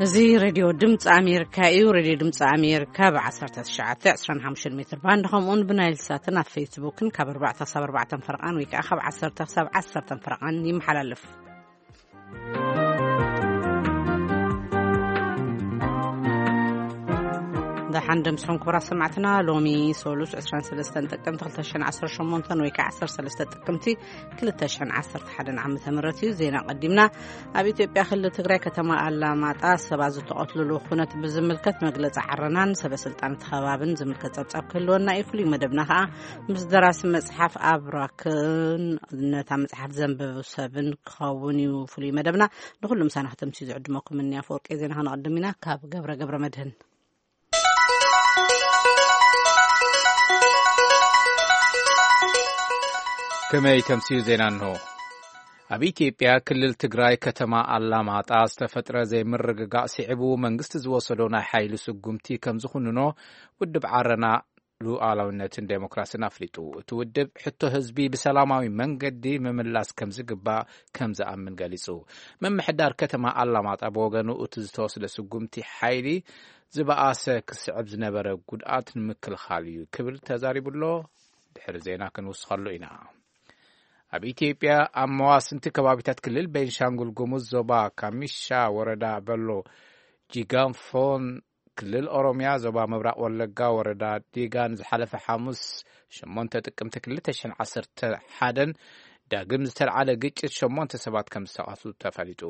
እዚ ሬድዮ ድምፂ ኣሜሪካ እዩ። ሬድዮ ድምፂ ኣሜሪካ ብ ዓሰርተ ትሽዓተ ዕስራን ሓሙሽተን ሜትር ባንድ፣ ከምኡውን ብናይል ሳትን ኣብ ፌስቡክን ካብ ኣርባዕተ ክሳብ ኣርባዕተ ፈረቓን ወይ ከዓ ካብ ዓሰርተ ክሳብ ዓሰርተ ፈረቓን ይመሓላለፍ። ደሓን ደምስኹም ክቡራት ሰማዕትና። ሎሚ ሶሉስ ዕስራን ሰለስተን ጥቅምቲ ክልተ ሽሕን ዓሰርተ ሸሞንተን ወይ ከዓ ዓሰርተ ሰለስተ ጥቅምቲ ክልተ ሽሕን ዓሰርተ ሓደን ዓመተ ምህረት እዩ። ዜና ቀዲምና። ኣብ ኢትዮጵያ ክልል ትግራይ ከተማ ኣላማጣ ሰባት ዝተቐትልሉ ኩነት ብዝምልከት መግለፂ ዓረናን ሰበ ስልጣን እቲ ከባብን ዝምልከት ጸብጻብ ክህልወና እዩ። ፍሉይ መደብና ከዓ ምስ ደራሲ መጽሓፍ ኣብራክን ነታ መጽሓፍ ዘንበቡ ሰብን ክኸውን እዩ ፍሉይ መደብና። ንኹሉ ምሳና ከተምስዩ ዝዕድመኩም እኒ ኣፈወርቂ ዜና ከነቐድም ኢና። ካብ ገብረ ገብረ መድህን። ከመይ ተምስዩ ዜና እንሆ። ኣብ ኢትዮጵያ ክልል ትግራይ ከተማ ኣላማጣ ዝተፈጥረ ዘይምርግጋእ ስዒቡ መንግስቲ ዝወሰዶ ናይ ሓይሊ ስጉምቲ ከም ዝኹንኖ ውድብ ዓረና ሉዓላዊነትን ዴሞክራሲን ኣፍሊጡ። እቲ ውድብ ሕቶ ህዝቢ ብሰላማዊ መንገዲ ምምላስ ከም ዝግባእ ከም ዝኣምን ገሊጹ። ምምሕዳር ከተማ ኣላማጣ ብወገኑ እቲ ዝተወስደ ስጉምቲ ሓይሊ ዝበኣሰ ክስዕብ ዝነበረ ጉድኣት ንምክልኻል እዩ ክብል ተዛሪቡ ኣሎ። ድሕሪ ዜና ክንውስኸሉ ኢና። ኣብ ኢትዮጵያ ኣብ መዋስንቲ ከባቢታት ክልል ቤንሻንጉል ጉሙዝ ዞባ ካሚሻ ወረዳ በሎ ጂጋንፎን ክልል ኦሮሚያ ዞባ ምብራቕ ወለጋ ወረዳ ዲጋን ዝሓለፈ ሓሙስ ሸሞንተ ጥቅምቲ ክልተ ሽሕን ዓሰርተ ሓደን ዳግም ዝተልዓለ ግጭት ሸሞንተ ሰባት ከም ዝተቐትሉ ተፈሊጡ።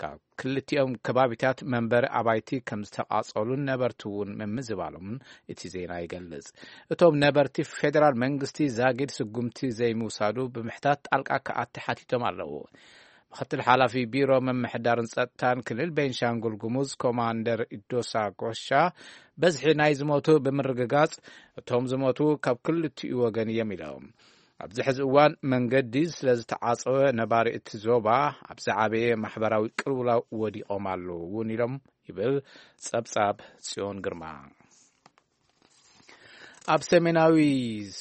ካብ ክልቲኦም ከባቢታት መንበሪ ኣባይቲ ከም ዝተቓጸሉን ነበርቲ እውን ምምዝባሎምን እቲ ዜና ይገልጽ። እቶም ነበርቲ ፌደራል መንግስቲ ዛጊድ ስጉምቲ ዘይምውሳዱ ብምሕታት ጣልቃ ክኣቲ ሓቲቶም ኣለዉ። ምክትል ሓላፊ ቢሮ ምምሕዳርን ጸጥታን ክልል ቤንሻንጉል ጉሙዝ ኮማንደር ኢዶሳ ጎሻ በዝሒ ናይ ዝሞቱ ብምርግጋጽ እቶም ዝሞቱ ካብ ክልቲኡ ወገን እዮም ኢሎም። ኣብዚ ሕዚ እዋን መንገዲ ስለ ዝተዓጸወ ነባሪ እቲ ዞባ ኣብ ዝዓበየ ማሕበራዊ ቅልውላው ወዲቖም ኣለዉ እውን ኢሎም ይብል ጸብጻብ ጽዮን ግርማ። ኣብ ሰሜናዊ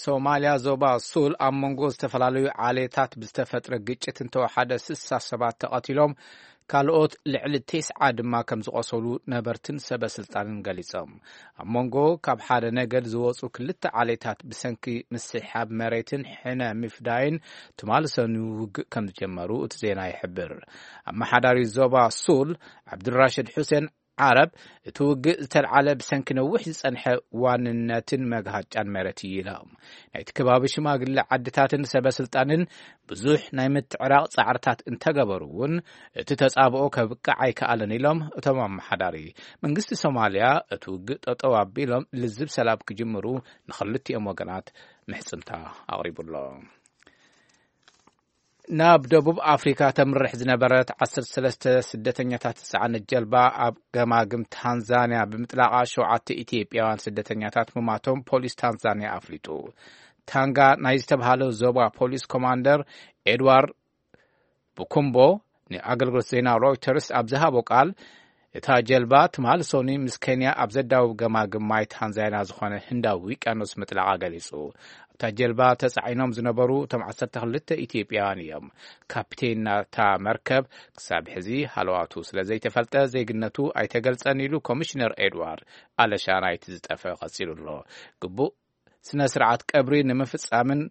ሶማልያ ዞባ ሱል ኣብ መንጎ ዝተፈላለዩ ዓሌታት ብዝተፈጥረ ግጭት እንተወሓደ ስሳ ሰባት ተቐቲሎም ካልኦት ልዕሊ ቴስዓ ድማ ከም ዝቖሰሉ ነበርትን ሰበ ስልጣንን ገሊጾም። ኣብ መንጎ ካብ ሓደ ነገድ ዝወጹ ክልተ ዓሌታት ብሰንኪ ምስሕሓብ መሬትን ሕነ ምፍዳይን ትማሊ ሰኑ ውግእ ከም ዝጀመሩ እቲ ዜና ይሕብር። ኣመሓዳሪ ዞባ ሱል ዓብዱራሽድ ሑሴን ዓረብ እቲ ውግእ ዝተልዓለ ብሰንኪ ነዊሕ ዝጸንሐ ዋንነትን መግሃጫን መሬት እዩ ኢሎም። ናይቲ ከባቢ ሽማግለ ዓድታትን ሰበ ስልጣንን ብዙሕ ናይ ምትዕራቕ ጻዕርታት እንተገበሩ እውን እቲ ተጻብኦ ከብቅዕ ኣይከኣለን ኢሎም እቶም ኣመሓዳሪ። መንግስቲ ሶማልያ እቲ ውግእ ጠጠው ኣቢሎም ልዝብ ሰላም ክጅምሩ ንኽልቲኦም ወገናት ምሕጽንታ ኣቕሪቡ ኣሎ። ናብ ደቡብ ኣፍሪካ ተምርሕ ዝነበረት ዓሰርተ ሰለስተ ስደተኛታት ዝጸዓነት ጀልባ ኣብ ገማግም ታንዛንያ ብምጥላቓ ሸውዓተ ኢትዮጵያውያን ስደተኛታት ምማቶም ፖሊስ ታንዛንያ ኣፍሊጡ። ታንጋ ናይ ዝተብሃለ ዞባ ፖሊስ ኮማንደር ኤድዋርድ ብኩምቦ ንኣገልግሎት ዜና ሮይተርስ ኣብ ዝሃቦ ቃል፣ እታ ጀልባ ትማሊ ሶኒ ምስ ኬንያ ኣብ ዘዳውብ ገማግም ማይ ታንዛንያ ዝኾነ ህንዳዊ ውቅያኖስ ምጥላቓ ገሊጹ። ኣብታ ጀልባ ተጻዒኖም ዝነበሩ እቶም ዓሰርተ ክልተ ኢትዮጵያውያን እዮም። ካፕቴን ናታ መርከብ ክሳብ ሕዚ ሃለዋቱ ስለ ዘይተፈልጠ ዜግነቱ ኣይተገልጸን ኢሉ ኮሚሽነር ኤድዋርድ ኣለሻ ናይቲ ዝጠፈ ቀጺሉ ኣሎ። ግቡእ ስነ ስርዓት ቀብሪ ንምፍጻምን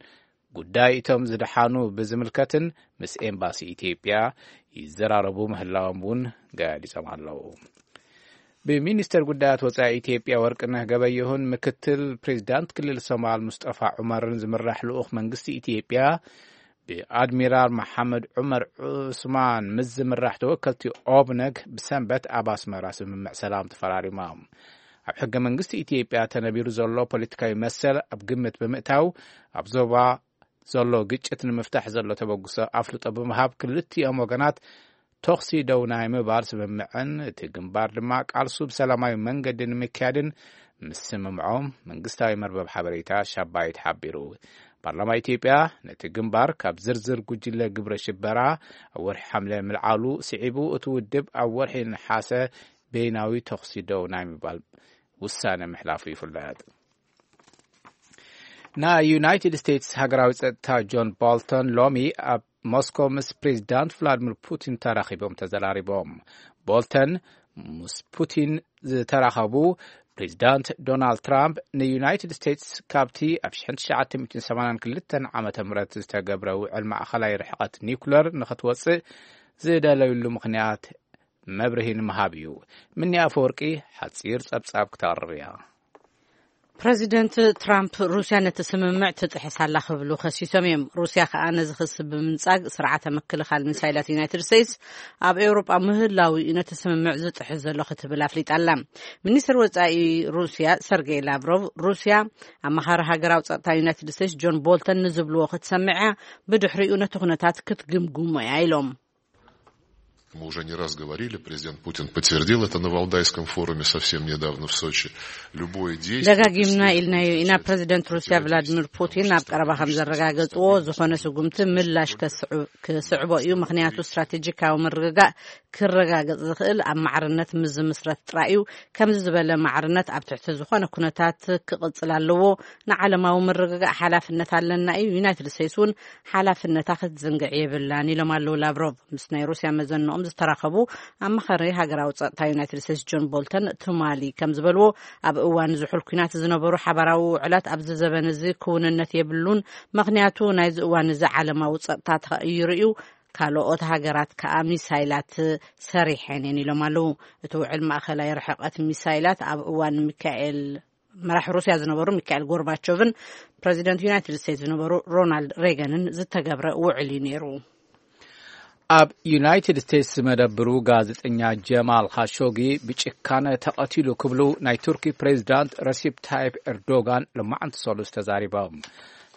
ጉዳይ እቶም ዝደሓኑ ብዝምልከትን ምስ ኤምባሲ ኢትዮጵያ ይዘራረቡ ምህላዎም እውን ገሊጾም ኣለዉ። ብሚኒስተር ጉዳያት ወጻኢ ኢትዮጵያ ወርቅነህ ገበየሁን ምክትል ፕሬዚዳንት ክልል ሶማል ሙስጠፋ ዑመርን ዝምራሕ ልኡኽ መንግስቲ ኢትዮጵያ ብኣድሚራል መሓመድ ዑመር ዑስማን ምስ ዝምራሕ ተወከልቲ ኦብነግ ብሰንበት ኣብ ኣስመራ ስምምዕ ሰላም ተፈራሪሞም። ኣብ ሕገ መንግስቲ ኢትዮጵያ ተነቢሩ ዘሎ ፖለቲካዊ መሰል ኣብ ግምት ብምእታው፣ ኣብ ዞባ ዘሎ ግጭት ንምፍታሕ ዘሎ ተበግሶ ኣፍልጦ ብምሃብ፣ ክልቲኦም ወገናት ተኹሲ ደው ናይ ምባል ስምምዕን እቲ ግንባር ድማ ቃልሱ ብሰላማዊ መንገዲ ንምክያድን ምስምምዖም መንግስታዊ መርበብ ሓበሬታ ሻባይት ሓቢሩ። ፓርላማ ኢትዮጵያ ነቲ ግንባር ካብ ዝርዝር ጉጅለ ግብረ ሽበራ ኣብ ወርሒ ሓምለ ምልዓሉ ስዒቡ፣ እቲ ውድብ ኣብ ወርሒ ነሓሰ በይናዊ ተኹሲ ደው ናይ ምባል ውሳነ ምሕላፉ ይፍለጥ። ናይ ዩናይትድ ስቴትስ ሃገራዊ ጸጥታ ጆን ቦልተን ሎሚ ኣብ ሞስኮ ምስ ፕሬዚዳንት ቭላድሚር ፑቲን ተራኺቦም ተዘራሪቦም። ቦልተን ምስ ፑቲን ዝተራኸቡ ፕሬዚዳንት ዶናልድ ትራምፕ፣ ንዩናይትድ ስቴትስ ካብቲ ኣብ ሽሕን ትሽዓተ ሚእትን ሰማንያን ክልተን ዓመተ ምህረት ዝተገብረ ውዕል ማእኸላይ ርሕቐት ኒውክለር ንኽትወፅእ ዝደለዩሉ ምኽንያት መብርሂ ንምሃብ እዩ። ምኒ ኣፈወርቂ ሓፂር ጸብጻብ ክተቕርብ እያ። ፕረዚደንት ትራምፕ፣ ሩስያ ነቲ ስምምዕ ትጥሕስ ኣላ ክብሉ ከሲሶም እዮም። ሩስያ ከኣ ነዚ ክሲ ብምንጻግ፣ ስርዓተ ምክልኻል ሚሳይላት ዩናይትድ ስቴትስ ኣብ ኤውሮጳ ምህላው እዩ ነቲ ስምምዕ ዝጥሕስ ዘሎ ክትብል ኣፍሊጣ ኣላ። ሚኒስትር ወጻኢ ሩስያ ሰርጌይ ላቭሮቭ፣ ሩስያ ኣማኻሪ ሃገራዊ ጸጥታ ዩናይትድ ስቴትስ ጆን ቦልተን ንዝብልዎ ክትሰምዕ እያ፣ ብድሕሪኡ ነቲ ኩነታት ክትግምግሞ እያ ኢሎም። Мы уже не раз говорили, президент Путин подтвердил это на Валдайском форуме совсем недавно в Сочи. Любое действие... ደጋጊምና ኢልናዮ ኢና። ፕረዚደንት ሩስያ ቭላድሚር ፑቲን ኣብ ቀረባ ከም ዘረጋገጽዎ፣ ዝኾነ ስጉምቲ ምላሽ ከስዕብ- ክስዕቦ እዩ። ምኽንያቱ፣ ስትራቴጂካዊ ምርግጋእ ክረጋገጽ ዝኽእል ኣብ ማዕርነት ምስ ዝምስረት ጥራይ እዩ። ከምዚ ዝበለ ማዕርነት ኣብ ትሕቲ ዝኾነ ኩነታት ክቕጽል ኣለዎ። ንዓለማዊ ምርግጋእ ሓላፍነት ኣለና እዩ። ዩናይትድ ስቴትስ እውን ሓላፍነታ ክትዝንግዕ የብላን ኢሎም ኣለዉ ላቭሮቭ። ምስ ናይ ሩስያ መዘንኦም ዝተራኸቡ ኣማኻሪ ሃገራዊ ጸጥታ ዩናይትድ ስቴትስ ጆን ቦልተን ትማሊ ከም ዝበልዎ፣ ኣብ እዋን ዝሑል ኲናት ዝነበሩ ሓባራዊ ውዕላት ኣብዚ ዘበን እዚ ክውንነት የብሉን፣ ምኽንያቱ ናይዚ እዋን እዚ ዓለማዊ ጸጥታ ተቐይሩ እዩ፣ ካልኦት ሃገራት ከኣ ሚሳይላት ሰሪሐን እየን ኢሎም ኣለዉ። እቲ ውዕል ማእኸላይ ርሕቐት ሚሳይላት ኣብ እዋን ሚካኤል መራሕ ሩስያ ዝነበሩ ሚካኤል ጎርባቾቭን ፕረዚደንት ዩናይትድ ስቴትስ ዝነበሩ ሮናልድ ሬገንን ዝተገብረ ውዕል እዩ ነይሩ። ኣብ ዩናይትድ ስቴትስ ዝመደብሩ ጋዜጠኛ ጀማል ኻሾጊ ብጭካነ ተቐቲሉ ክብሉ ናይ ቱርኪ ፕሬዚዳንት ረሲፕ ታይፕ ኤርዶጋን ሎማዓንቲ ሰሉስ ተዛሪቦም።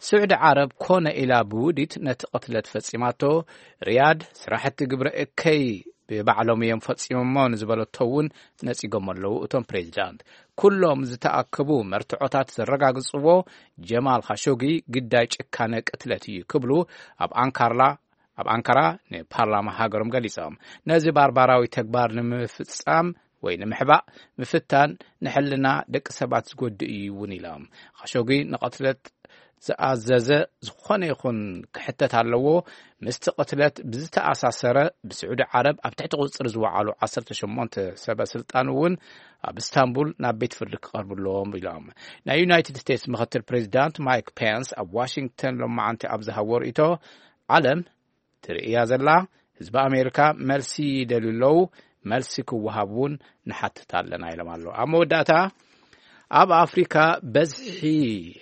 ስዑዲ ዓረብ ኮነ ኢላ ብውዲት ነቲ ቅትለት ፈጺማቶ፣ ሪያድ ስራሕቲ ግብረ እከይ ብባዕሎም እዮም ፈጺሞሞ ንዝበለቶ እውን ነጺጎም ኣለዉ። እቶም ፕሬዚዳንት፣ ኩሎም ዝተኣከቡ መርትዖታት ዘረጋግጽዎ፣ ጀማል ኻሾጊ ግዳይ ጭካነ ቅትለት እዩ ክብሉ ኣብ ኣንካርላ ኣብ ኣንካራ ንፓርላማ ሃገሮም ገሊጾም። ነዚ ባርባራዊ ተግባር ንምፍጻም ወይ ንምሕባእ ምፍታን ንሕልና ደቂ ሰባት ዝጎድእ እዩ እውን ኢሎም። ኻሾጊ ንቐትለት ዝኣዘዘ ዝኾነ ይኹን ክሕተት ኣለዎ። ምስቲ ቅትለት ብዝተኣሳሰረ፣ ብስዑዲ ዓረብ ኣብ ትሕቲ ቁጽጥር ዝወዓሉ ዓሰርተ ሸሞንተ ሰበ ስልጣን እውን ኣብ እስታንቡል ናብ ቤት ፍርዲ ክቐርቡ ኣለዎም ኢሎም። ናይ ዩናይትድ ስቴትስ ምክትል ፕሬዚዳንት ማይክ ፔንስ ኣብ ዋሽንግተን ሎማዓንቲ ኣብ ዝሃቦ ርእይቶ፣ ዓለም ትርእያ ዘላ፣ ህዝቢ ኣሜሪካ መልሲ ይደልዩ ኣለዉ፣ መልሲ ክወሃብ እውን ንሓትት ኣለና ኢሎም ኣለዉ። ኣብ መወዳእታ፣ ኣብ ኣፍሪካ በዝሒ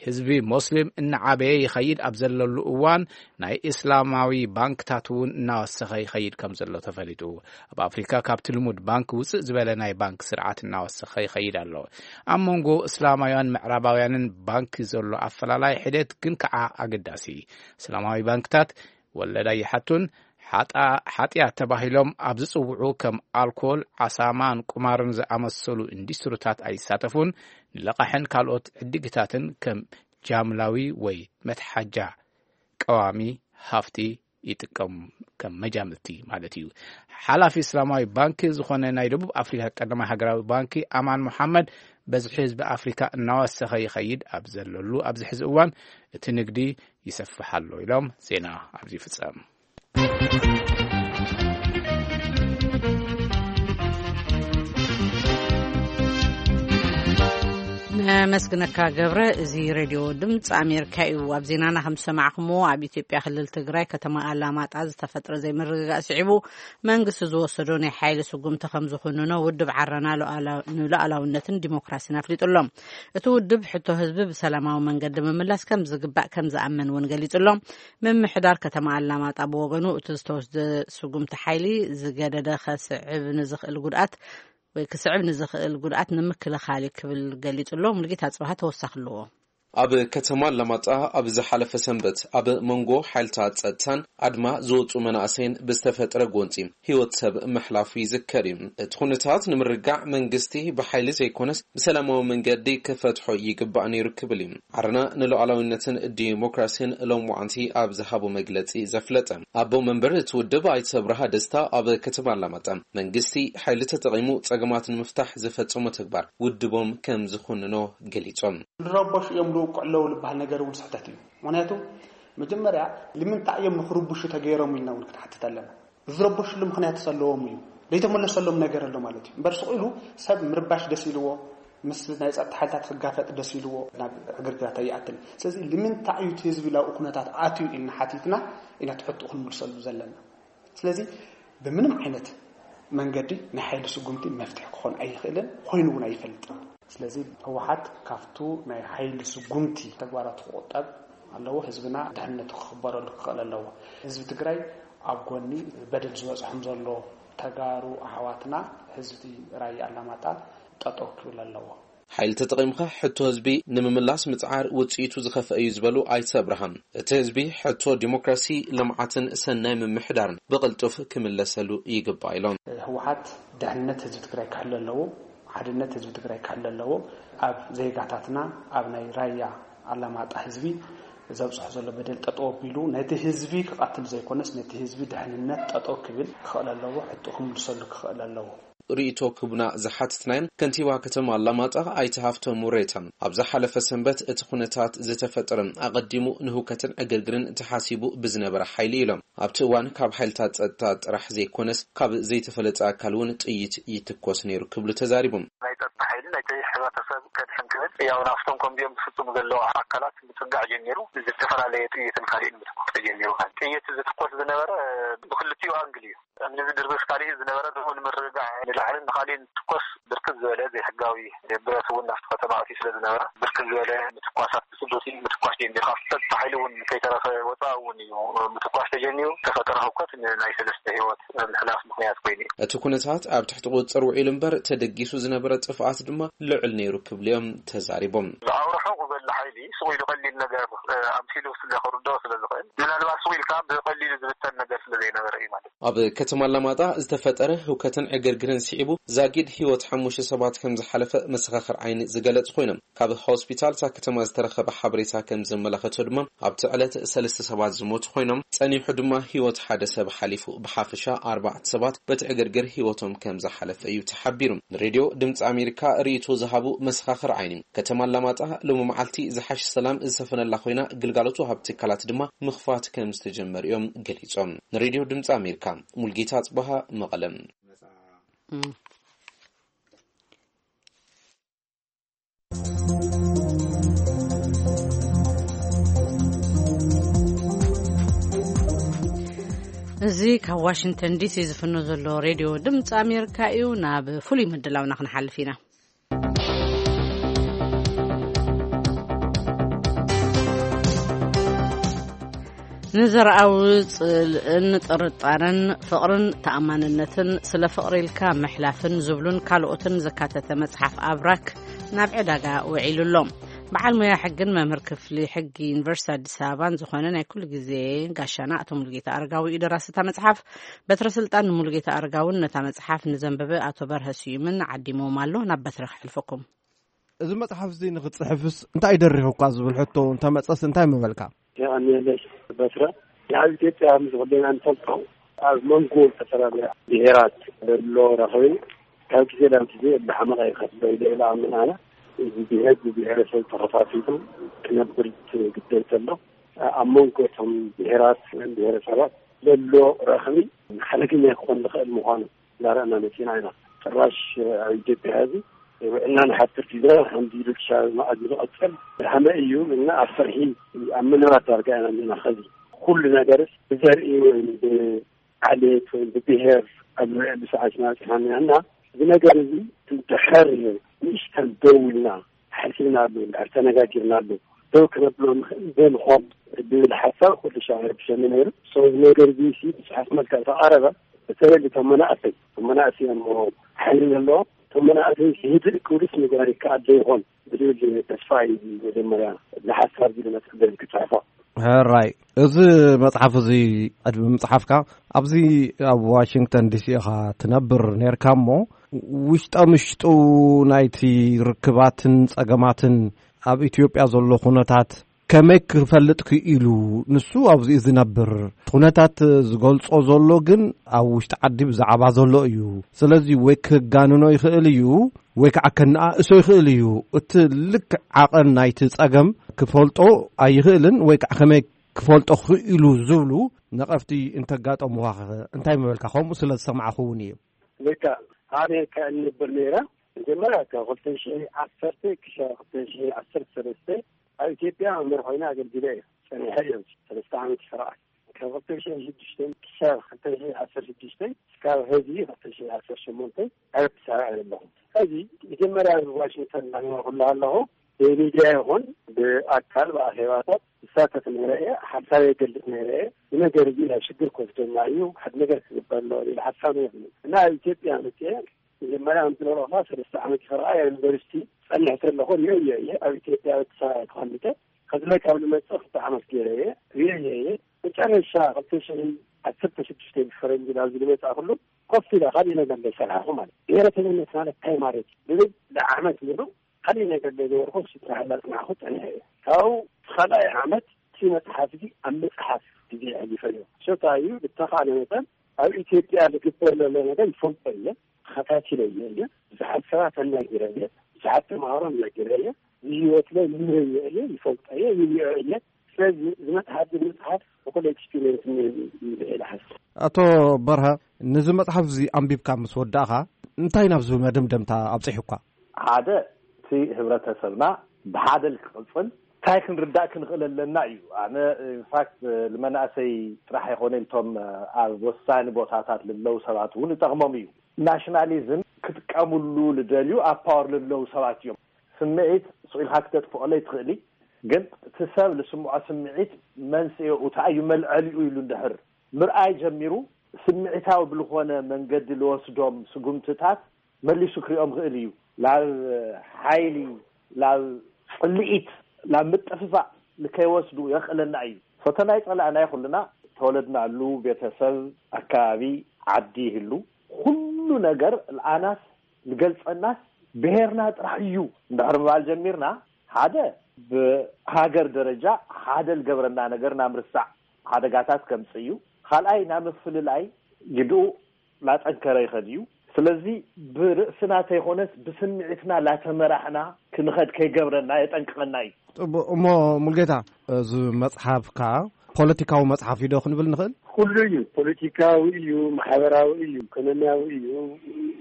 ህዝቢ ሞስሊም እናዓበየ ይኸይድ ኣብ ዘለሉ እዋን፣ ናይ እስላማዊ ባንክታት እውን እናወሰኸ ይኸይድ ከም ዘሎ ተፈሊጡ። ኣብ ኣፍሪካ ካብቲ ልሙድ ባንክ ውፅእ ዝበለ ናይ ባንክ ስርዓት እናወሰኸ ይኸይድ ኣሎ። ኣብ መንጎ እስላማውያን ምዕራባውያንን ባንክ ዘሎ ኣፈላላይ ሒደት ግን ከዓ ኣገዳሲ። እስላማዊ ባንክታት ወለድ ኣይሓቱን፣ ሓጣ- ሓጢኣት ተባሂሎም ኣብ ዝጽውዑ ከም ኣልኮል፣ ዓሳማን ቁማርን ዝኣመሰሉ ኢንዱስትሪታት ኣይሳተፉን፣ ንለቓሕን ካልኦት ዕድግታትን ከም ጃምላዊ ወይ መትሓጃ ቀዋሚ ሃፍቲ ይጥቀሙ፣ ከም መጃምልቲ ማለት እዩ። ሓላፊ እስላማዊ ባንክ ዝኾነ ናይ ደቡብ ኣፍሪካ ቀዳማይ ሃገራዊ ባንኪ ኣማን መሓመድ፣ በዝሒ ህዝቢ ኣፍሪካ እናወሰኸ ይኸይድ ኣብ ዘለሉ ኣብዚ ሕዚ እዋን፣ እቲ ንግዲ ይሰፍሕ ኣሎ ኢሎም። ዜና ኣብዚ ይፍጸም። ነመስግነካ ገብረ። እዚ ሬድዮ ድምፂ ኣሜሪካ እዩ። ኣብ ዜናና ከም ዝሰማዕኹምዎ፣ ኣብ ኢትዮጵያ ክልል ትግራይ ከተማ ኣላማጣ ዝተፈጥረ ዘይምርግጋእ ስዒቡ መንግስቲ ዝወሰዶ ናይ ሓይሊ ስጉምቲ ከም ዝኹንኖ ውድብ ዓረና ሉዓላ- ንሉዓላውነትን ዲሞክራሲን ኣፍሊጡ ኣሎ። እቲ ውድብ ሕቶ ህዝቢ ብሰላማዊ መንገዲ ምምላስ ከም ዝግባእ ከም ዝኣምን እውን ገሊጹ ኣሎ። ምምሕዳር ከተማ ኣላማጣ ብወገኑ፣ እቲ ዝተወስደ ስጉምቲ ሓይሊ ዝገደደ ከስዕብ ንዝኽእል ጉድኣት ወይ ክስዕብ ንዝኽእል ጉድኣት ንምክልኻል እዩ ክብል ገሊጹ ኣሎ። ሙሉጌታ ጽባሃ ተወሳኺ ኣለዎ። ኣብ ከተማ ኣላማጣ ኣብ ዝሓለፈ ሰንበት ኣብ መንጎ ሓይልታት ጸጥታን ኣድማ ዝወጹ መናእሰይን ብዝተፈጥረ ጎንጺ ህይወት ሰብ ምሕላፉ ይዝከር እዩ። እቲ ኩነታት ንምርጋዕ መንግስቲ ብሓይሊ ዘይኮነስ ብሰላማዊ መንገዲ ክፈትሖ ይግባእ ነይሩ ክብል እዩ ዓረና ንሉዓላዊነትን ዲሞክራሲን ሎምዓንቲ ኣብ ዝሃቦ መግለጺ ዘፍለጠ። ኣቦ መንበር እቲ ውድብ ኣይተ ኣብርሃ ደስታ ኣብ ከተማ ኣላማጣ መንግስቲ ሓይሊ ተጠቒሙ ጸገማት ንምፍታሕ ዝፈጸሞ ተግባር ውድቦም ከም ዝኹንኖ ገሊጾም። ዝረበሹ እዮም ዝውቅዑ ኣለዉ ዝበሃል ነገር እውን ስሕተት እዩ። ምክንያቱ መጀመርያ ንምንታይ እዮም ንክርብሹ ተገይሮም ኢልና እውን ክንሓትት ኣለና። ዝረበሽሉ ምክንያት ዘለዎም እዩ። ዘይተመለሰሎም ነገር ኣሎ ማለት እዩ። እምበር ስቕ ኢሉ ሰብ ምርባሽ ደስ ኢልዎ፣ ምስ ናይ ጸጥታ ሓይልታት ክጋፈጥ ደስ ኢልዎ ናብ ዕግርግራት ኣይኣትን። ስለዚ ንምንታይ እዩ እቲ ህዝቢ ናብኡ ኩነታት ኣትዩ ኢልና ሓቲትና ኢና ትሕትኡ ክንምልሰሉ ዘለና። ስለዚ ብምንም ዓይነት መንገዲ ናይ ሓይሊ ስጉምቲ መፍትሒ ክኾን ኣይኽእልን፣ ኮይኑ እውን ኣይፈልጥን። ስለዚ ህወሓት ካብቱ ናይ ሓይሊ ስጉምቲ ተግባራቱ ክቑጠብ ኣለዎ። ህዝብና ድሕነቱ ክኽበረሉ ክኽእል ኣለዎ። ህዝቢ ትግራይ ኣብ ጎኒ በደል ዝበፅሖም ዘሎ ተጋሩ ኣሕዋትና ህዝቢ ራያ ኣላማጣ ጠጠው ክብል ኣለዎ። ሓይሊ ተጠቒምካ ሕቶ ህዝቢ ንምምላስ ምጽዓር ውጽኢቱ ዝኸፍአ እዩ ዝበሉ ኣይተ ኣብርሃም፣ እቲ ህዝቢ ሕቶ ዲሞክራሲ፣ ልምዓትን ሰናይ ምምሕዳርን ብቕልጡፍ ክምለሰሉ ይግባእ ኢሎም። ህወሓት ድሕነት ህዝቢ ትግራይ ክሕሉ ኣለዎ፣ ሓድነት ህዝቢ ትግራይ ክሕሉ ኣለዎ። ኣብ ዜጋታትና፣ ኣብ ናይ ራያ ኣላማጣ ህዝቢ ዘብፅሖ ዘሎ በደል ጠጠው ኣቢሉ ነቲ ህዝቢ ክቐትል ዘይኮነስ ነቲ ህዝቢ ድሕንነት ጠጠው ክብል ክኽእል ኣለዎ፣ ሕቶ ክምልሰሉ ክኽእል ኣለዎ። ርእይቶ ክቡና ዝሓትትናዮም ከንቲባ ከተማ ኣላማጣ ኣይተ ሃፍቶም ሙሬታ፣ ኣብ ዝሓለፈ ሰንበት እቲ ኩነታት ዝተፈጠረ ኣቐዲሙ ንህውከትን ዕግርግርን ተሓሲቡ ብዝነበረ ሓይሊ ኢሎም። ኣብቲ እዋን ካብ ሓይልታት ጸጥታ ጥራሕ ዘይኮነስ ካብ ዘይተፈለጠ ኣካል እውን ጥይት ይትኮስ ነይሩ ክብሉ ተዛሪቦም። ናይ ጸጥታ ሓይሊ ናይቲ ሕብረተሰብ ከድሕን ክብል ያው ናብቶም ከምዚኦም ዝፍጽሙ ዘለዉ ኣካላት ምጽጋዕ ጀሚሩ፣ ዝተፈላለየ ጥይትን ካልእን ምትኳስ ተጀሚሩ። ጥይት ዝትኮስ ዝነበረ ብክልቲኡ ኣንግል እዩ። እምኒ ዝድርብስ ካልእ ዝነበረ፣ ደሞ ንምርግጋዕ ንላዕልን ንኻልእን ትኮስ ብርክት ዝበለ ዘይሕጋዊ ብረት እውን ናብቲ ከተማ ኣትዩ ስለ ዝነበረ፣ ብርክት ዝበለ ምትኳሳት ብስዱቲ ምትኳስ ጀሚሩ። ካብ ጸጥታ ሓይሊ እውን ከይተረፈ ወጻኢ እውን እዩ ምትኳስ ተጀሚሩ። ተፈጠረ ህውከት ንናይ ሰለስተ ህይወት ምሕላፍ ምኽንያት ኮይኑ እዩ። እቲ ኩነታት ኣብ ትሕቲ ቁጽጽር ውዒሉ እምበር፣ ተደጊሱ ዝነበረ ጥፍኣት ድማ ልዑል ነይሩ ክብሉ እዮም ተዛሪቦም። ኣብ ርሑቕ ዘሎ ሓይሊ ስቕ ኢሉ ቀሊል ነገር፣ እ፣ ኣምሲሉ ስለ ክርድኦ ስለ ዝኽእል፣ ምናልባት ስቕ ኢልካ ብቐሊሉ ዝብተን ነገር ስለ ዘይነበረ እዩ ማለት እዩ። ኣብ ከተማ ኣላማጣ ዝተፈጠረ ህውከትን ዕግርግርን ስዒቡ ዛጊድ ህይወት ሓሙሽተ ሰባት ከም ዝሓለፈ መሰኻኽር ዓይኒ ዝገለጹ ኮይኖም፣ ካብ ሆስፒታል እታ ከተማ ዝተረኸበ ሓበሬታ ከም ዘመላኸቶ ድማ ኣብቲ ዕለት ሰለስተ ሰባት ዝሞቱ ኮይኖም፣ ጸኒሑ ድማ ህይወት ሓደ ሰብ ሓሊፉ። ብሓፈሻ ኣርባዕተ ሰባት በቲ ዕግርግር ህይወቶም ከም ዝሓለፈ እዩ ተሓቢሩ። ንሬድዮ ድምፂ ኣሜሪካ ርእይቶ ዝሃቡ መሰኻኽር ዓይኒ፣ ከተማ ኣላማጣ ሎሚ መዓልቲ ዝሓሸ ሰላም ዝሰፈነላ ኮይና፣ ግልጋሎት ወሃብቲ ትካላት ድማ ምኽፋት ከም ዝተጀመረ እዮም ገሊጾም። ንሬድዮ ድምፂ ኣሜሪካ ሙልጌታ ጽበሃ፣ መቐለም። እዚ ካብ ዋሽንግተን ዲሲ ዝፍኖ ዘሎ ሬድዮ ድምፂ ኣሜሪካ እዩ። ናብ ፍሉይ ምድላውና ክንሓልፍ ኢና። ንዘርኣዊ ጽልእን ጥርጣረን ፍቕርን ተኣማንነትን ስለ ፍቕሪ ኢልካ ምሕላፍን ዝብሉን ካልኦትን ዘካተተ መጽሓፍ ኣብራክ ናብ ዕዳጋ ውዒሉ ኣሎ። በዓል ሞያ ሕግን መምህር ክፍሊ ሕጊ ዩኒቨርሲቲ ኣዲስ ኣበባን ዝኾነ ናይ ኩሉ ግዜ ጋሻና ኣቶ ሙሉጌታ ኣረጋዊ እዩ ደራሲ እታ መጽሓፍ። በትረ ስልጣን ንሙሉጌታ ኣረጋውን ነታ መጽሓፍ ንዘንበበ ኣቶ በርሀ ስዩምን ዓዲሞም ኣሎ። ናብ በትረ ክሕልፈኩም። እዚ መጽሓፍ እዚ ንኽትጽሕፍስ እንታይ ደሪኹካ ዝብል ሕቶ እንተመጸስ እንታይ ምበልካ? የቐንየለይ በትረ። ኣብ ኢትዮጵያ ምስ ወደና እንፈልጦ ኣብ መንጎ ዝተፈላለያ ብሄራት ዘሎ ረኽቢ ካብ ግዜ ናብ ግዜ እንዳሓመቐ ይኸፍሎ ኢለ ኢለ ኣምን ኣነ። እዚ ብሄር ብብሄረሰብ ተኸፋፊሉ ክነብር ግደል ተሎ ኣብ መንጎ እቶም ብሄራት ብሄረሰባት ዘሎ ረኽቢ ሓደገኛ ክኾን ዝኽእል ምዃኑ እናረኣና መፂና ኢና። ጭራሽ ኣብ ኢትዮጵያ ሕዚ ውዕልና ንሓትር ፊዛ ሓምዚ ኢሉ ክሻብ መዓዝ ዝቐፅል ሃመ እዩ እና ኣብ ፍርሒ ኣብ ምንባር ዳርጋ ኢና ኣለና። ከዚ ኩሉ ነገርስ ብዘርኢ ወይ ብዓሌት ወይ ብብሄር ኣብ ንርዕሉ ሰዓት ኢና በፂሕና እና እዚ ነገር እዚ እንድሕር ንእሽተን ደው ኢልና ሓሲብናሉ እንድሕር ተነጋጊርናሉ ደው ክነብሎ ንኽእል ዶ ንኾን ብብል ሓሳብ ኩሉ ሻዕ ረብሸኒ ነይሩ። ሰው ነገር እዚ ሲ ብፅሑፍ መልክዕ ተቓረበ። በተለይ እቶም መናእሰይ እቶም መናእሰይ እዮም ሓይሊ ዘለዎም። እቶም መናእሰይ ህድእ ክብሉስ ምግባር ይከኣል ዶ ይኾን ብዝብል ተስፋ እዩ መጀመርያ እዚ ሓሳብ እዚ ዝመፅእ ክፅሕፎ። ሕራይ፣ እዚ መጽሓፍ እዚ ቅድሚ ምጽሓፍካ ኣብዚ ኣብ ዋሽንግተን ዲሲ ኢኻ ትነብር ነርካ እሞ ውሽጠ ምሽጡ ናይቲ ርክባትን ጸገማትን ኣብ ኢትዮጵያ ዘሎ ኩነታት ከመይ ክፈልጥ ክኢሉ? ንሱ ኣብዚኡ ዝነብር ኩነታት ዝገልጾ ዘሎ ግን ኣብ ውሽጢ ዓዲ ብዛዕባ ዘሎ እዩ። ስለዚ ወይ ክጋንኖ ይኽእል እዩ ወይ ከዓ ከነኣእሶ ይኽእል እዩ። እቲ ልክዕ ዓቐን ናይቲ ጸገም ክፈልጦ ኣይኽእልን ወይ ከዓ ከመይ ክፈልጦ ክኢሉ ዝብሉ ነቐፍቲ እንተጋጠሙኻ እንታይ ምበልካ? ከምኡ ስለ ዝሰማዕኹ እውን እዩ። ልካ ኣሜሪካ እንብር ነይራ። መጀመርያ ካብ ክልተ ሽሕ ዓሰርተ ክሻ ክልተ ሽሕ ዓሰርተ ሰለስተ ኣብ ኢትዮጵያ መምህር ኮይነ ኣገልግለ እየ። ጸኒሐ እየ። ሰለስተ ዓመት ይስራሕ። ካብ ክልተ ሽሕ ሽዱሽተ ክሻ ክልተ ሽሕ ዓሰርተ ሽዱሽተ እስካብ ሕዚ ክልተ ሽሕ ዓሰርተ ሸሞንተ ኣብ ኣዲስ ኣበባ እየ ዘለኹ። ሕዚ መጀመርያ ኣብ ዋሽንግተን እናነበርኩ ኣለኹ ብሚድያ ይኹን ብኣካል ብኣኼባታት ዝሳተፍ ነይረ እየ። ሓሳብ የገልጽ ነይረ እየ። እዚ ነገር እዚ ናብ ሽግር ክወስደና እዩ፣ ሓደ ነገር ክግበር ኣለዎ ዝብል ሓሳብ ነይሩ። እና ኣብ ኢትዮጵያ መፅአ መጀመርያ ከምቲ ንረኽባ ሰለስተ ዓመት ይኸረኣ ዩኒቨርሲቲ ጸኒሕ ከለኹ ርእዮ እየ እየ ኣብ ኢትዮጵያ ኣዲስ ኣበባ ተቐሚጠ ከዚ ላይ ካብ ልመፅእ ክልተ ዓመት ገይረ እየ ርእዮ እየ እየ መጨረሻ ክልተ ሽሕ ዓሰርተ ሽዱሽተ ብፈረንጂ ናብ ዝመፅእ ኩሉ ኮፍ ኢለ ካልእ ነገር ዘይሰራሕኹ ማለት እዩ። ብሄረተኝነት ማለት እንታይ ማለት እዩ? ብብል ንዓመት ሙሉ ካልእ ነገር ዘይገበርኩ ስራሕ እናፅናዕኩ ፀኒሐ እየ። ካብኡ እቲ ካልኣይ ዓመት እቲ መፅሓፍ እዚ ኣብ ምፅሓፍ ግዜ ኣሕሊፈ እየ። ሸታ እዩ ብተኻእለ መጠን ኣብ ኢትዮጵያ ዝግበር ዘሎ ነገር ይፈልጦ እየ፣ ተኸታቲለ እየ እየ ብዙሓት ሰባት ኣናጊረ እየ፣ ብዙሓት ተምሃሮ ኣናጊረ እየ፣ ብህይወት ላይ ምረየ እየ፣ ይፈልጦ እየ፣ ይሪኦ እየ። ስለዚ ዝመፅሓፍ ዝመፅሓፍ እኩል ኤክስፒሪየንስ እኒሀኒ ኢለ ሓስብ። ኣቶ በርሀ፣ ነዚ መጽሓፍ እዚ ኣንቢብካ ምስ ወዳእኻ እንታይ ናብዚ መደምደምታ ኣብጺሑካ? ሓደ፣ እቲ ህብረተሰብና ብሓደ ክቕጽል እንታይ ክንርዳእ ክንኽእል ኣለና እዩ። ኣነ ኢንፋክት ንመናእሰይ ጥራሕ ኣይኮነ፣ እቶም ኣብ ወሳኒ ቦታታት ልለው ሰባት እውን ይጠቕሞም እዩ። ናሽናሊዝም ክጥቀምሉ ልደልዩ ኣብ ፓወር ልለው ሰባት እዮም። ስምዒት ስቕ ኢልካ ክተጥፍኦለይ ትኽእሊ፣ ግን እቲ ሰብ ልስምዖ ስምዒት መንስኤኡ እንታይ እዩ፣ መልዐሊኡ ኢሉ እንድሕር ምርኣይ ጀሚሩ፣ ስምዒታዊ ብልኾነ መንገዲ ልወስዶም ስጉምትታት መሊሱ ክሪኦም ክእል እዩ። ላብ ሓይሊ፣ ላብ ጽልኢት፣ ላብ ምጥፍፋእ ንከይወስዱ የኽእለና እዩ። ፈተና ይጸላእና ኩልና ተወለድናሉ ቤተሰብ፣ ኣከባቢ፣ ዓዲ ይህሉ። ኩሉ ነገር ልኣናስ ልገልጸናስ ብሄርና ጥራሕ እዩ እንድሕር ምባል ጀሚርና፣ ሓደ ብሃገር ደረጃ ሓደ ልገብረና ነገር ናምርሳዕ ሓደጋታት ከምጽእ እዩ። ካልኣይ ናምፍልላይ ግድኡ ላጠንከረ ይኸድ እዩ። ስለዚ ብርእስና ተይኮነስ ብስምዒትና ላተመራሕና ክንኸድ ከይገብረና የጠንቅቐና እዩ። ጽቡቕ። እሞ ሙልጌታ፣ እዚ መጽሓፍካ ፖለቲካዊ መጽሓፍ እዩ ዶ ክንብል ንኽእል? ኩሉ እዩ። ፖለቲካዊ እዩ፣ ማሕበራዊ እዩ፣ ኢኮኖሚያዊ እዩ፣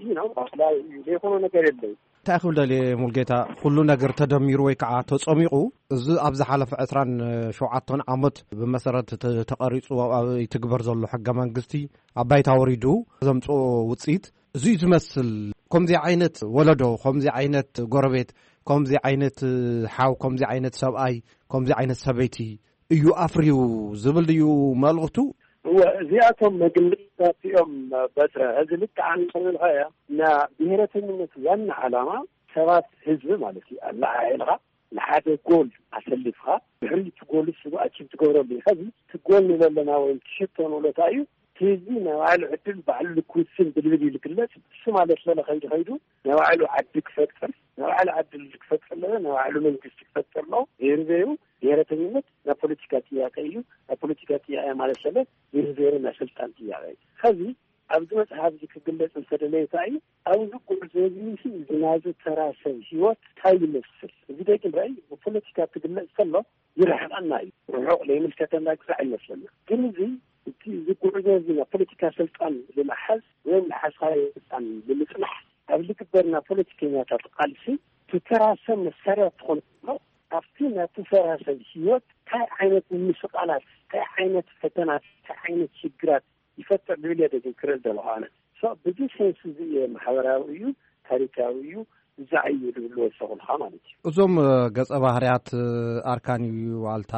you know፣ ባህላዊ እዩ። ዘይኮኖ ነገር የለን። እንታይ ክብል ደልየ ሙልጌታ፣ ኩሉ ነገር ተደሚሩ ወይ ከዓ ተጸሚቑ፣ እዚ ኣብ ዝሓለፈ ዕስራን ሸውዓተን ዓመት ብመሰረት ተ-፣ ተቐሪጹ ኣብ ይትግበር ዘሎ ሕገ መንግስቲ ኣብ ባይታ ወሪዱ ዘምጽኦ ውጽኢት እዚ እዩ ዝመስል። ከምዚ ዓይነት ወለዶ፣ ከምዚ ዓይነት ጎረቤት፣ ከምዚ ዓይነት ሓው፣ ከምዚ ዓይነት ሰብኣይ፣ ከምዚ ዓይነት ሰበይቲ እዩ ኣፍርዩ ዝብል ድዩ መልእኽቱ? እወ፣ እዚኣቶም መግለጽታት እዮም። በትረ፣ እዚ ልክዕ ኣንተ ዝበልካዮ፣ እና ብሄረተኝነት ዋና ዓላማ ሰባት ህዝቢ ማለት እዩ። ኣለዓዒልካ ንሓደ ጎል ኣሰሊፍካ ድሕሪ እቲ ጎል ስቡ ኣቺቭ ትገብረሉ እዩ። ከዚ እቲ ጎል ንለለና ወይም ትሽቶ ንብለታ እዩ። እቲ ህዝቢ ናይ ባዕሉ ዕድል ባዕሉ ልክውስን ብልብል እዩ ልግለጽ። እሱ ማለት ለለ ከይዱ ከይዱ ናይ ባዕሉ ዓዲ ክፈጥር፣ ናይ ባዕሉ ዓዲ ክፈጥር ኣለዎ፣ ናይ ባዕሉ መንግስቲ ክፈጥር ኣለዎ። ዘይሩ ዘይሩ ብሄረተኝነት ናይ ፖለቲካ ጥያቄ እዩ። ናይ ፖለቲካ ጥያቄ ማለት ለለ ዘይሩ ዘይሩ ናይ ስልጣን ጥያቄ እዩ። ከዚ ኣብዚ መጽሓፍ እዚ ክግለጽ እንተደለየ እንታይ እዩ? ኣብዚ ጉዕዞ እዚ እዚ ናዚ ተራ ሰብ ህይወት እንታይ ይመስል? እዚ ደቂ ራእይ ብፖለቲካ ክግለጽ ከሎ ይርሕቐና እዩ። ርሑቕ ዘይምልከተና ክሳዕ ይመስለና። ግን እዚ እቲ እዚ ጉዕዞ እዚ ናይ ፖለቲካ ስልጣን ንምሓዝ ወይ ንሓዝካዮ ስልጣን ንምጽናሕ ኣብ ዝግበርና ፖለቲከኛታት ቃልሲ እቲ ተራ ሰብ መሳርያ ትኾን ከሎ ኣብቲ ናቲ ተራ ሰብ ህይወት እንታይ ዓይነት ምምስቓላት፣ እንታይ ዓይነት ፈተናት፣ እንታይ ዓይነት ሽግራት ይፈጥር ዝብል እየ ደጊም ክርኢ ዘለኹ ኣነ። ሶ ብዚ ሴንስ እዚ እየ ማሕበራዊ እዩ፣ ታሪካዊ እዩ፣ ብዛዕ እዩ ዝብል ወሰኹልካ ማለት እዩ። እዞም ገጸ ባህርያት ኣርካን እዩ ዋልታ፣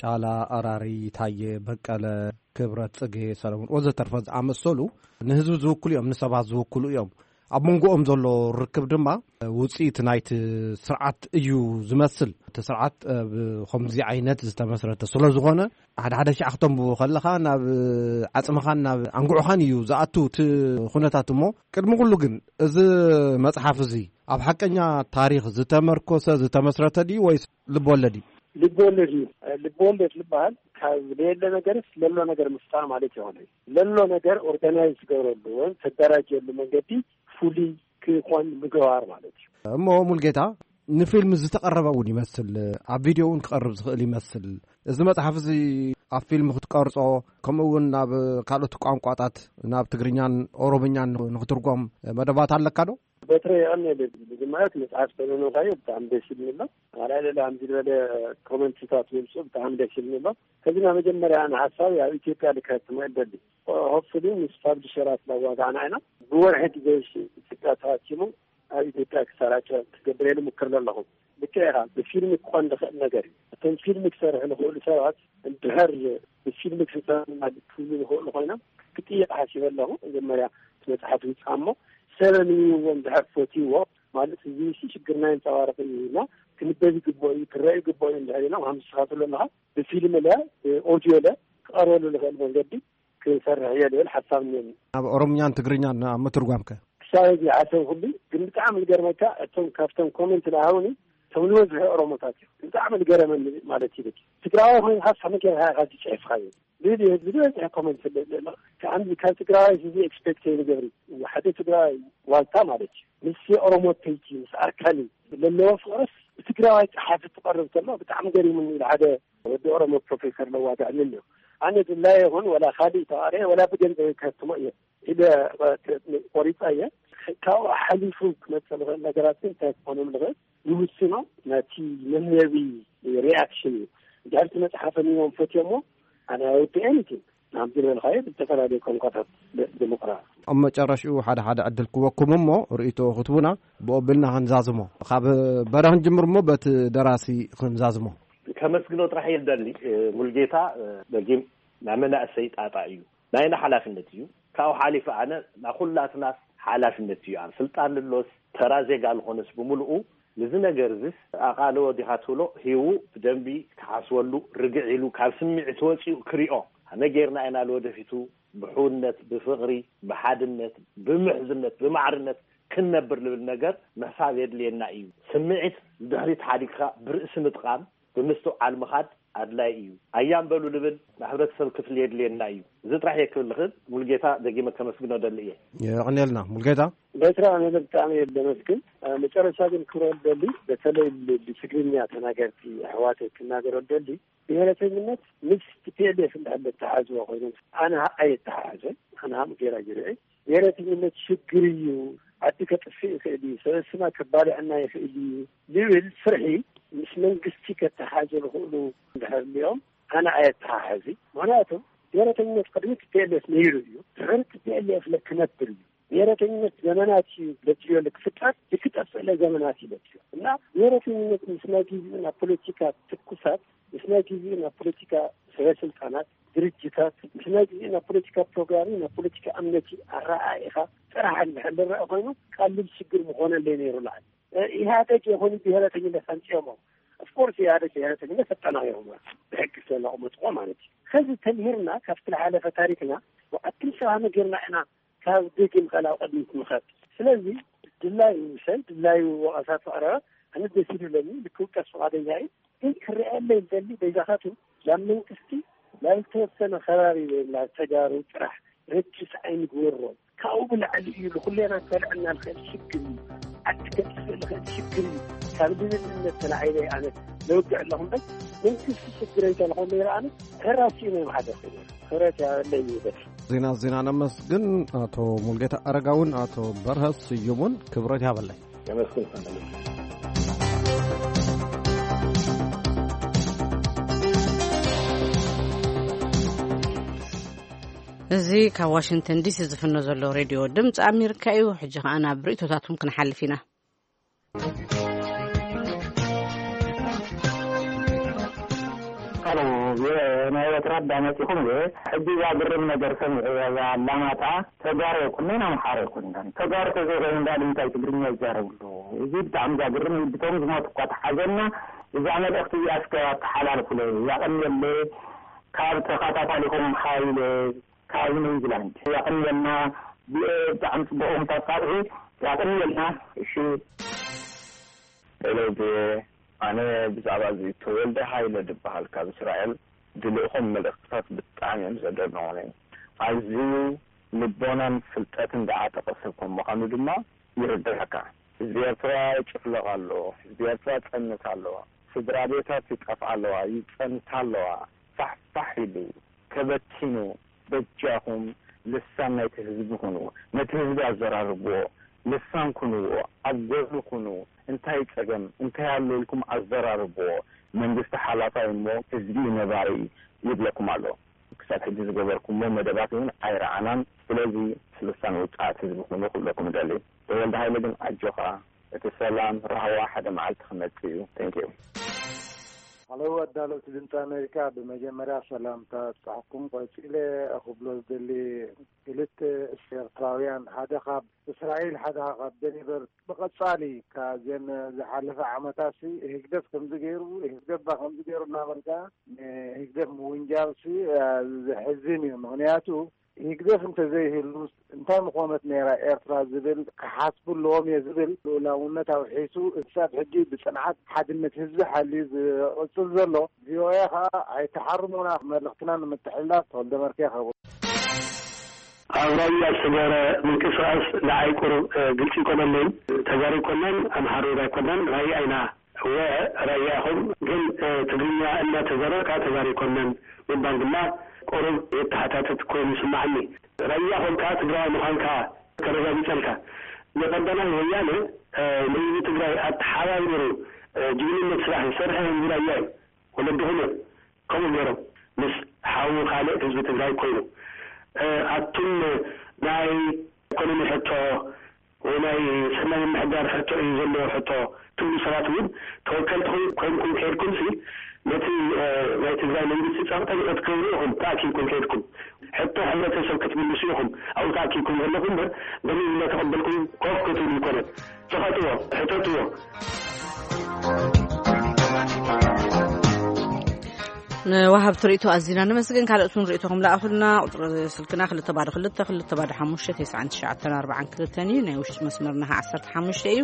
ጫላ፣ ኣራሪ፣ ታየ፣ በቀለ፣ ክብረት፣ ጽጌ፣ ሰለሙን ወዘተርፈ ዝኣመሰሉ ንህዝቢ ዝውክሉ እዮም፣ ንሰባት ዝውክሉ እዮም። ኣብ መንጎኦም ዘሎ ርክብ ድማ ውጽኢት ናይቲ ስርዓት እዩ ዝመስል። እቲ ስርዓት ብኸምዚ ዓይነት ዝተመስረተ ስለ ዝኾነ ሓደ ሓደ ሻዕ ክተንብቦ ከለኻ ናብ ዓጽምኻን ናብ ኣንጉዕኻን እዩ ዝኣቱ እቲ ኩነታት። እሞ ቅድሚ ኩሉ ግን እዚ መጽሓፍ እዚ ኣብ ሓቀኛ ታሪኽ ዝተመርኮሰ ዝተመስረተ ድዩ ወይስ ልብወለድ እዩ? ልብወለድ እዩ። ልብወለድ ዝበሃል ካብ ለየለ ነገርስ ለሎ ነገር ምፍጣር ማለት ይኾነ እዩ። ለሎ ነገር ኦርጋናይዝ ትገብረሉ ወይም ተደራጀሉ መንገዲ ፍሉይ ክኾን ምግባር ማለት እዩ። እሞ ሙልጌታ፣ ንፊልም ዝተቐረበ እውን ይመስል፣ ኣብ ቪድዮ እውን ክቐርብ ዝኽእል ይመስል። እዚ መጽሓፍ እዚ ኣብ ፊልም ክትቀርጾ፣ ከምኡ እውን ናብ ካልኦት ቋንቋታት፣ ናብ ትግርኛን ኦሮምኛን ንኽትርጎም መደባት ኣለካ ዶ? በትረ የቐንየለይ። ብዝማያት መጽሓፍ ተመኖኻዮ ብጣዕሚ ደስ ይብል ኣሎ። ኣላ ሌላ ከምዚ ዝበለ ኮመንትታት ምምፅኡ ብጣዕሚ ደስ ይብል ኣሎ። ከዚ ናብ መጀመርያ ኣነ ሓሳብ ኣብ ኢትዮጵያ ልከትሞ ይደሊ። ሆፕፉሊ ምስ ፓብሊሸራት ላዋጋዕና ኢና። ብወርሒ ግዜ ኢትዮጵያ ተዋሲሙ ኣብ ኢትዮጵያ ክሰራጨ ክትገብር ኢሉ ምክር ኣለኹ። ልክዕ ኢኻ። ብፊልም ክኾን ዝኽእል ነገር እዩ። እቶም ፊልም ክሰርሑ ዝኽእሉ ሰባት እንድሕር ብፊልም ክሰርሑ ክብሉ ዝኽእሉ ኮይኖም ክጥይቕ ሓሲበ ኣለኹ። መጀመርያ እቲ መጽሓፍ ይውጻእ እሞ ሰብ ኣንቢብዎ እንድሕር ፈትይዎ፣ ማለት እዚ ሲ ሽግርና የንጸባርቕ እዩ እና ክንበብ ይግብኦ እዩ፣ ክረአ ይግብኦ እዩ እንድሕር ኢሎም፣ ከም ንስኻ ትብሎ ኣለኻ ብፊልም ለ ብኦድዮ ለ ክቐርበሉ ዝኽእል መንገዲ ክሰርሕ እየ ዝብል ሓሳብ እኒአኒ። ኣብ ኦሮምኛን ትግርኛን ኣብ ምትርጓምከ? ክሳብ እዚ ሓሰብ ኩሉ ግን ብጣዕሚ ዝገርመካ እቶም ካብቶም ኮመንት ዝሃቡኒ እቶም ዝበዝሑ ኦሮሞታት እዮም። ብጣዕሚ ዝገረመኒ ማለት እዩ። ትግራዋይ ኮይንካ ከመይ ጌርካ ኢኻ ዝፅሕፍካዮ? ልዕሊ ዝበዝሐ ኮመንት ስለ ዘሎ ከዓንዚ ካብ ትግራዋይ እዚ ኤክስፔክት ይገብር ሓደ ትግራዋይ ዋልታ ማለት እዩ። ምስ ኦሮሞ ተይቲ ምስ ኣርካኒ ለለዎ ፍቅርስ ብትግራዋይ ፀሓፊ ትቐርብ ከሎ ብጣዕሚ ገሪሙኒ ኢሉ ሓደ ወዲ ኦሮሞ ፕሮፌሰር ለዋጋዕኒ ኣሎ። ኣነ ድላየ ይኹን ወላ ካሊእ ተዋርየ ወላ ብገንዘብ ከትሞ እየ ኢለ ቆሪፀ እየ። ካብኡ ሓሊፉ ክመፀ ዝኽእል ነገራት ግን እንታይ ክኾኖም ዝኽእል ይውስኖ። ነቲ መምየቢ ሪያክሽን እዩ። ድሕርቲ መፅሓፈ ንዎም ፈትዮሞ ኣነ ኣይወዲ ኤኒቲንግ ናብዚ ዝበልካዮ ብዝተፈላለዩ ቋንቋታት ብምቕራብ። ኣብ መጨረሽኡ ሓደ ሓደ ዕድል ክወኩም እሞ ርእይቶ ክትቡና ብኦብልና ክንዛዝሞ። ካብ በረ ክንጅምር እሞ በቲ ደራሲ ክንዛዝሞ። ከመስግኖ ጥራሕ እየ ዝደሊ። ሙልጌታ ደጊም ናይ መናእሰይ ጣጣ እዩ። ናይና ሓላፍነት እዩ። ካብኡ ሓሊፈ ኣነ ናኩላትናስ ሓላፍነት እዩ። ኣብ ስልጣን ልሎስ ተራ ዜጋ ልኾነስ ብምልኡ ንዚ ነገር እዚስ ኣቓልቦ ዲኻ ትብሎ ሂቡ ብደንቢ ክሓስበሉ ርግዕ ኢሉ ካብ ስምዒት ወፂኡ ክሪኦ ከመይ ጌርና ኢና ንወደፊቱ ብሕውነት ብፍቕሪ ብሓድነት ብምሕዝነት ብማዕርነት ክንነብር ልብል ነገር ምሕሳብ የድልየና እዩ። ስምዒት ንድሕሪት ሓዲግካ ብርእሲ ምጥቓም ብምስትውዓል ምኻድ ኣድላይ እዩ። ኣያም በሉ ልብል ናይ ሕብረተሰብ ክፍሊ የድልየና እዩ። እዚ ጥራሕ እየ ክብል ልኽእል። ሙልጌታ ደጊመ ከመስግኖ ደሊ እየ። የቐንየልና ሙልጌታ። በስራ ኣነ ብጣዕሚ እየ ለመስግን። መጨረሻ ግን ክብረ ደሊ በተለይ ብትግርኛ ተናገርቲ ኣሕዋተይ ክናገሮ ደሊ ብሄረተኝነት ምስ ቲ ፒ ኤል ኤፍ እንዳለ ተሓዝዋ ኮይኖም ኣነ ኣየተሓሓዘን ኣነ ሃም ጌራ ይርኢ ብሄረተኝነት ሽግር እዩ። ዓዲ ከጥፍእ ይኽእል እዩ። ሰበስና ከባልዐና ይኽእል እዩ ዝብል ፍርሒ ምስ መንግስቲ ከተሓዘ ዝኽእሉ እንድሕር እኒኦም ኣነ ኣየተሓሕዚ። ምክንያቱ ብሄረተኝነት ቅድሚ ቲ ፒ ኤል ኤፍ ነይሩ እዩ። ድሕሪ ቲ ፒ ኤል ኤፍ ለክነብር እዩ። ብሄረተኝነት ዘመናት እዩ ለትዮ ለክፍጠር ልክጠፍእ ለዘመናት እዩ ለትዮ እና ብሄረተኝነት ምስ ናይ ግዜኡ ናብ ፖለቲካ ትኩሳት ምስ ናይ ግዜኡ ናብ ፖለቲካ ሰበ ስልጣናት ድርጅታት ምስ ናይ ግዜኡ ናብ ፖለቲካ ፕሮግራሚ ናብ ፖለቲካ እምነቲ ኣረኣኢኻ ጥራሕ እንድሕር ዝረአ ኮይኑ ቀሊል ሽግር ምኾነለይ ነይሩ። ላዕሊ ኢህኣደግ የኾኑ ብሄረተኝነት ኣምፅኦሞ። ኦፍኮርስ ኢህኣደግ ብሄረተኝነት ኣጠናቂሮሞ ብሕጊ ስለዘቐመጥዎ ማለት እዩ። ከዚ ተምሂርና ካብቲ ዝሓለፈ ታሪክና ብኣትም ሰባ መጌርና ኢና ካብ ደጊም ቃል ኣብ ቅድሚት ምኸድ። ስለዚ ድላዩ ሰብ ድላዩ ወቐሳ ተቕረበ ኣነ ደስ ይብለኒ ልክውቀስ ፍቓደኛ እዩ። ግን ክረኣየለይ ዝደሊ በይዛኻቱ ናብ መንግስቲ ናብ ዝተወሰነ ከባቢ ወይ ናብ ተጋሩ ጥራሕ ረጅስ ኣይንግበሮ። ካብኡ ብላዕሊ እዩ ንኩሌና ከልዕልና ንኽእል ሽግር እዩ። ዓዲ ከጥፍእ ንኽእል ሽግር እዩ። ካብ ድልልነት ተላዒለ ኣነ ለውግዕ ኣለኹ እምበር መንግስቲ ሽግረይ ተልኾ ነይረ ኣነ ሕራስ እዩ ናይ ማሕደር ኮይኑ ክብረት ያበለይ ይበል። ዜና ዜና ነመስግን ኣቶ ሙልጌታ ኣረጋውን ኣቶ በርሀ ስዩሙን ክብረት ያበለይ። የመስግን ፈንደል እዚ ካብ ዋሽንግተን ዲሲ ዝፍኖ ዘሎ ሬድዮ ድምፂ ኣሜሪካ እዩ። ሕጂ ከኣ ናብ ርእቶታትኩም ክንሓልፍ ኢና። ሄሎ፣ ናይ ኤርትራ ኣዳመፂኹም እየ። ሕጂ እዛ ግርም ነገር ሰሚዐ እዛ ኣላማጣ ተጋሩ ኣይኮነን ኣምሓራ ኣይኮነን። ተጋሩ ተዘይኮይኑ እንዳ ልምንታይ ትግርኛ ይዛረብሉ? እዚ ብጣዕሚ ዘግርም እዩ። ብቶም ዝሞቱ እኳ ተሓዘና። እዛ መልእኽቲ እዚኣ እስከ ኣተሓላልፉለይ። ያቐንየለይ ካብ ተኸታታሊኹም ሃይለ ካብ ኒውዚላንድ። ያቐንየልና። ብጣዕሚ ጽቡቕ እኹም ታጣቕዑ። ያቐንየልና። እሺ። ሄሎ ቪኦኤ፣ ኣነ ብዛዕባ እዚ ተወልደ ሃይለ ዝበሃል ካብ እስራኤል ዝልእኾም መልእኽትታት ብጣዕሚ እዮም ዘደንቑኒ። ኣዝዩ ልቦናን ፍልጠትን ዝዓጠቐ ሰብ ከም ምዃኑ ድማ ይርድኣካ። ህዝቢ ኤርትራ ይጭፍለቕ ኣሎ፣ ህዝቢ ኤርትራ ጸንት ኣሎ። ስድራ ቤታት ይጠፍኣ ኣለዋ፣ ይጸንታ ኣለዋ። ፋሕፋሕ ኢሉ ተበቲኑ። በጃኹም ልሳን ናይቲ ህዝቢ ኩኑ። ነቲ ህዝቢ ኣዘራርብዎ፣ ልሳን ኩንዎ፣ ኣብ ጎኑ ኩኑ። እንታይ ጸገም እንታይ ኣሎ ኢልኩም ኣዘራርብዎ። መንግስቲ ሓላፋይ እሞ ህዝቢ ነባሪ ይብለኩም ኣሎ። ክሳብ ሕጂ ዝገበርኩሞ መደባት እውን ኣይረኣናን። ስለዚ ልሳን ውጽዓት ህዝቢ ኩኑ ክብለኩም እደሊ። ተወልደ ሃይለ ግን ኣጆኻ፣ እቲ ሰላም ራህዋ ሓደ መዓልቲ ክመጽእ እዩ። ቴንኪዩ። ኣለዉ ኣዳለውቲ ድምፂ ኣሜሪካ፣ ብመጀመርያ ሰላምታ ኣብፅሓኩም። ቀፂለ ክብሎ ዝደሊ፣ ክልተ ኤርትራውያን፣ ሓደ ካብ እስራኤል ሓደ ካብ ደኒቨር፣ ብቐፃሊ ካብዘን ዝሓለፈ ዓመታት ሲ ህግደፍ ከምዚ ገይሩ፣ ህግደፍ ባ ከምዚ ገይሩ እናበልካ ንህግደፍ ምውንጃል ሲ ዘሕዝን እዩ። ምክንያቱ ህግደፍ እንተዘይህሉ እንታይ ምኾነት ነይራ ኤርትራ ዝብል ክሓስቡ ኣለዎም እየ ዝብል። ልኡላውነት ኣውሒሱ ክሳብ ሕጂ ብፅንዓት ሓድነት ህዝቢ ሓልዩ ዝቕፅል ዘሎ። ቪኦኤ ከዓ ኣይተሓርሙና። መልእኽትና ንምትሕልላፍ ተወልደ መርኬ ከቡ ኣብ ራያ ዝተገበረ ምንቅስቃስ ንዓይ ቁሩብ ግልፂ ይኮነለይን። ተጋሩ ኣይኮናን፣ ኣምሓሩ ኣይኮናን፣ ራያ ኢና። እወ ራያ ኢኹም፣ ግን ትግርኛ እናተዛረብካ ተጋሩ ኣይኮናን ምባል ድማ ቁሩብ የተሓታትት ኮይኑ ይስማዓኒ። ራያ ኮንካ ትግራዋይ ምዃንካ ተረጋጊፀልካ። ብቀዳማይ ወያነ ንህዝቢ ትግራይ ኣተሓባቢሩ ጅግንነት ስራሕ ዝሰርሐ ህዝቢ ራያ እዩ። ወለድኹም እዮም ከምኡ ገይሮም ምስ ሓዉ ካልእ ህዝቢ ትግራይ ኮይኑ። ኣቱም ናይ ኢኮኖሚ ሕቶ ወይ ናይ ሰናይ ምምሕዳር ሕቶ እዩ ዘለዎ ሕቶ ትብሉ ሰባት እውን ተወከልቲ ኮይንኩም ከይድኩም ሲ ነቲ ናይ ትግራይ መንግስቲ ፀቕጠ ንኸትገብሩ ኢኹም ተኣኪብኩም ከይድኩም። ሕቶ ሕብረተሰብ ክትምልሱ ኢኹም ኣብኡ ተኣኪብኩም ዘለኹም እምበር በሊል እናተቐበልኩም ኮፍ ክትብሉ ይኮነን። ተኸትዎ፣ ሕተትዎ። ንወሃብቲ ርእይቶ ኣዚና ነመስግን። ካልኦት እውን ርእይቶኹም ለኣኹልና። ቁፅሪ ስልክና ክልተ ባዶ ክልተ ክልተ ባዶ ሓሙሽተ ተስዓን ትሽዓተን ኣርባዓን ክልተን እዩ። ናይ ውሽጢ መስመርና ኸዓ ዓሰርተ ሓሙሽተ እዩ።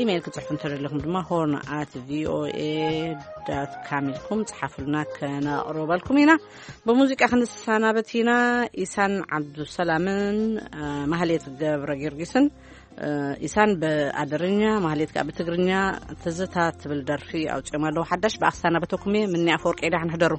ኢሜይል ክፅሕፉ እንተደለኹም ድማ ሆርን ኣት ቪኦኤ ዳት ካም ኢልኩም ፅሓፉልና፣ ከነቕርበልኩም ኢና። ብሙዚቃ ክንሰናበት ኢና። ኢሳን ዓብዱሰላምን ማህሌት ገብረ ጊዮርጊስን ኢሳን ብኣደርኛ ማህሌት ከዓ ብትግርኛ ትዝታ ትብል ደርፊ ኣውፅኦም ኣለዉ ሓዳሽ። ብኣክሳና በተኩም እየ። ምኒ ኣፈወርቂ ኢዳ ክንሕደሩ።